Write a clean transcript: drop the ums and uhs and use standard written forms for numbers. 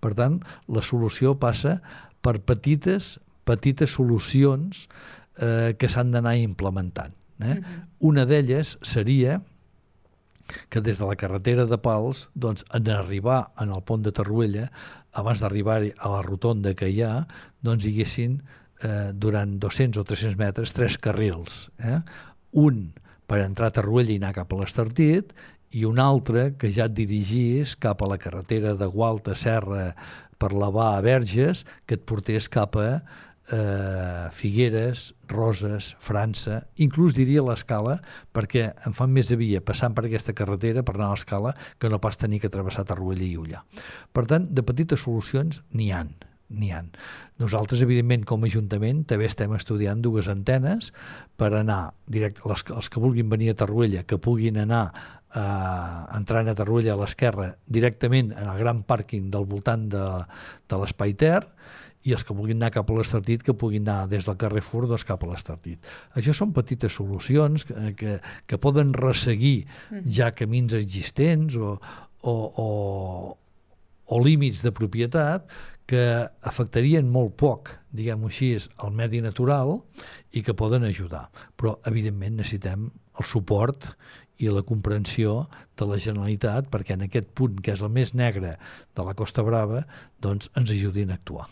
Per tant, la solució passa per petites solucions que s'han d'anar implementant. Una d'elles seria que des de la carretera de Pals, doncs, en arribar en el pont de Torroella, abans d'arribar a la rotonda que hi ha, doncs hi haguessin durant 200 o 300 metres 3 carrils. Un per entrar a Torroella i anar cap a l'Estartit, i un altre que ja et dirigís cap a la carretera de Gualta, Serra, per Lavà a Verges, que et portés cap a Figueres, Roses, França, inclús diria l'Escala, perquè em fan més de via passant per aquesta carretera per anar a l'Escala que no pas tenir que travessar Torroella i Ullà. Per tant, de petites solucions n'hi ha. Nosaltres, evidentment, com a Ajuntament, també estem estudiant 2 antenes per anar directe, els que vulguin venir a Torroella, que puguin anar entrant a Torroella a l'esquerra directament en el gran pàrquing del voltant de l'Espai Ter, i els que vulguin anar cap a l'Estartit que puguin anar des del Carrefour cap a l'Estartit. Això són petites solucions que poden resseguir ja camins existents o límits de propietat que afectarien molt poc, diguem-ho així, el medi natural i que poden ajudar. Però, evidentment, necessitem el suport i la comprensió de la Generalitat perquè en aquest punt, que és el més negre de la Costa Brava, doncs ens ajudin a actuar.